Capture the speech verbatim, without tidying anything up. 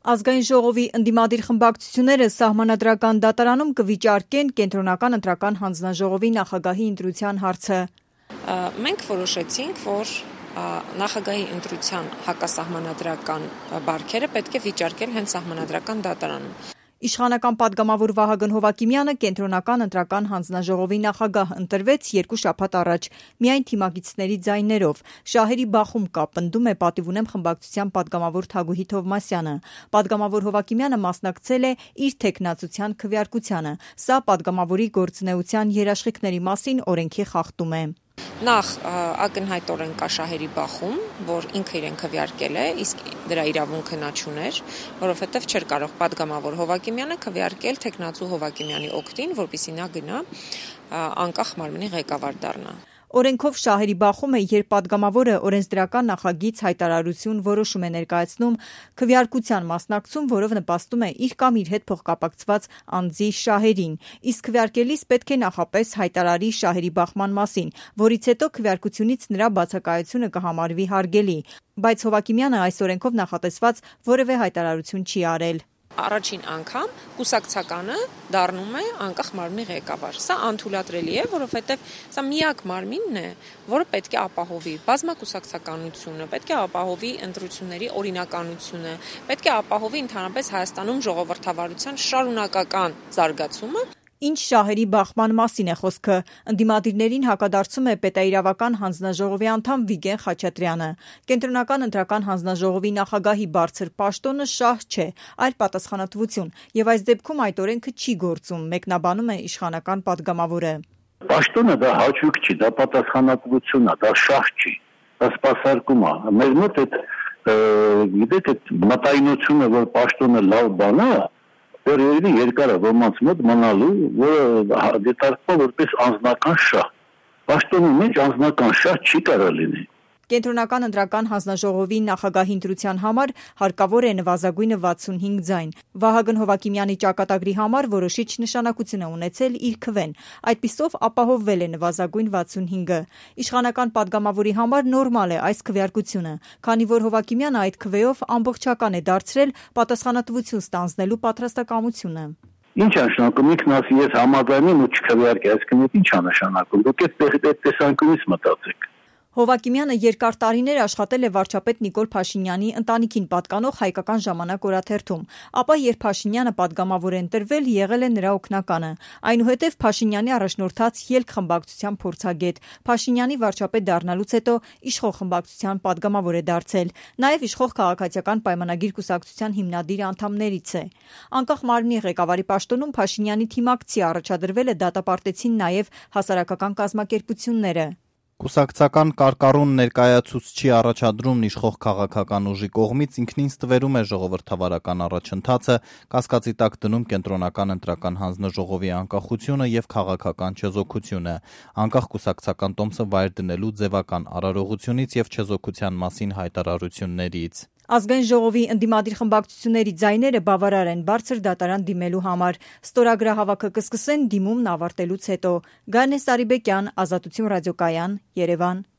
Ազգային ժողովի ընդդիմադիր խմբակցությունները սահմանադրական դատարանում կվիճարկեն կենտրոնական ընտրական հանձնաժողովի նախագահի ընտրության հարցը։ Մենք որոշեցինք, որ նախագահի ընտրության հակասահմանադրական բարքերը պետք է վիճարկել հենց սահմանադրական դատարանում։ Իշխանական պատգամավոր Վահագն Հովհակիմյանը կենտրոնական ընտրական հանձնաժողովի նախագահ ընտրվեց երկու շաբաթ առաջ, միայն թիմակիցների ձայներով։ Շահերի բախում կա, պնդում է պատիվ ունեմ խմբակցության պատգամավոր Թագուհի Թովմասյանը։ Պատգամավոր Հովհակիմյանը մասնակցել է իր թեկնածության քվեարկությանը։ Սա պատգամավորի գործունեության երաշխիքների մասին օրենքի խախտում է։ Նախ ակնհայտորեն կա շահերի բախում, որ ինքը իրեն քվեարկել է, իսկ դրա իրավունքը նա չուներ, որովհետև չէր կարող պատգամավոր Հովհակիմյանը քվեարկել թեկնածու Հովհակիմյանի օգտին, որպեսզի նա գնա անկախ մարմնի ղեկավար դառնա։ Օրենքով շահերի բախում է, երբ պատգամավորը օրենսդրական նախագիծ, հայտարարություն, որոշում է ներկայացնում, քվեարկության մասնակցում, որով նպաստում է իր կամ իր հետ փոխկապակցված անձի շահերին, իսկ քվեարկելիս պետք է նախապես հայտարարի շահերի բախման մասին, որից հետո քվեարկությունից նրա բացակայությունը կհամարվի հարգելի, բայց Հովհակիմյանը այս օրենքով նախատեսված որևէ հայտարարություն չի արել։ Առաջին անգամ կուսակցականը դառնում է անկախ մարմնի ղեկավար։ Սա անթույլատրելի է, որովհետև սա միակ մարմինն է, որը պետք է ապահովի բազմակուսակցականությունը, պետք է ապահովի ընտրությունների օրինականությունը, պետք է ապահովի ընդհանրապես Հայաստանում ժողովրդավարության շարունակական զարգացումը։ Ինչ շահերի բախման մասին է խոսքը։ Ընդդիմադիրներին հակադարձում է պետաիրավական հանձնաժողովի անդամ Վիգեն Խաչատրյանը։ Կենտրոնական ընտրական հանձնաժողովի նախագահի բարձր պաշտոնը շահ չէ, այլ պատասխանատվություն, եւ այս դեպքում այդ օրենքը չի գործում, մեկնաբանում է իշխանական պատգամավորը։ Պաշտոնը դա հաճույք չի, դա պատասխանատվություն է, դա շահ չի, դա սպասարկում է։ Մեր մոտ այդ գիտեք այդ մտայնությունը, որ պաշտոնը լավ բան է, Երևի երկար է ոմանց մոտ մնալու, որը դիտարկվում որպես անձնական շահ։ Պաշտոնի մեջ անձնական շահ չի կարող լինի։ Կենտրոնական ընտրական հանձնաժողովի նախագահի ընտրության համար հարկավոր է նվազագույնը վաթսունհինգ ձայն։ Վահագն Հովհակիմյանի ճակատագրի համար որոշիչ նշանակություն է ունեցել իր քվեն։ Այդպիսով ապահովվել է նվազագույն վաթսունհինգը։ Իշխանական պատգամավորի համար նորմալ է այս քվեարկությունը, քանի որ Հովհակիմյանը այդ քվեով ամբողջական է դարձրել պատասխանատվություն ստանձնելու պատրաստակամությունը։ Ինչ է նշանակում, ինքն ասի ես համաձայն եմ ու չքվեարկի, այսինքն ինչ է նշանակում։ Դուք այդ տեսանկյունից մտածեք։ Հովհակիմյանը երկար տարիներ աշխատել է վարչապետ Նիկոլ Փաշինյանի ընտանիքին պատկանող Հայկական ժամանակ օրաթերթում, ապա երբ Փաշինյանը պատգամավոր է ընտրվել, եղել է նրա օգնականը։ Այնուհետև Փաշինյանի առաջնորդած ելք խմբակցության փորձագետ, Փաշինյանի վարչապետ դառնալուց հետո իշխող խմբակցության պատգամավոր է դարձել, նաև իշխող քաղաքացիական պայմանագիր կուսակցության հիմնադիր անդամներից է։ Անկախ մարմնի ղեկավարի պաշտոնում Փաշինյանի թիմակցի առաջադրվել է դատապարտեցին նաև հասարակական կազմակերպությունները։ Կուսակցական կարկառուն ներկայացուցչի առաջադրումն իշխող քաղաքական ուժի կողմից ինքնին ստվերում է ժողովրդավարական առաջընթացը, կասկածի տակ դնում կենտրոնական ընտրական հանձնաժողովի անկախությունը եւ քաղաքական չեզոքությունը, անկախ կուսակցական տոմսը վայր դնելու ձևական արարողությունից եւ չեզոքության մասին հայտարարություններից։ Ազգային ժողովի ընդդիմադիր խմբակցությունների ձայները բավարար են բարձր դատարան դիմելու համար։ Ստորագրահավաքը կսկսեն դիմումն ավարտելուց հետո։ Գայանե Սարիբեկյան, Ազատություն ռադիոկայան, Երևան։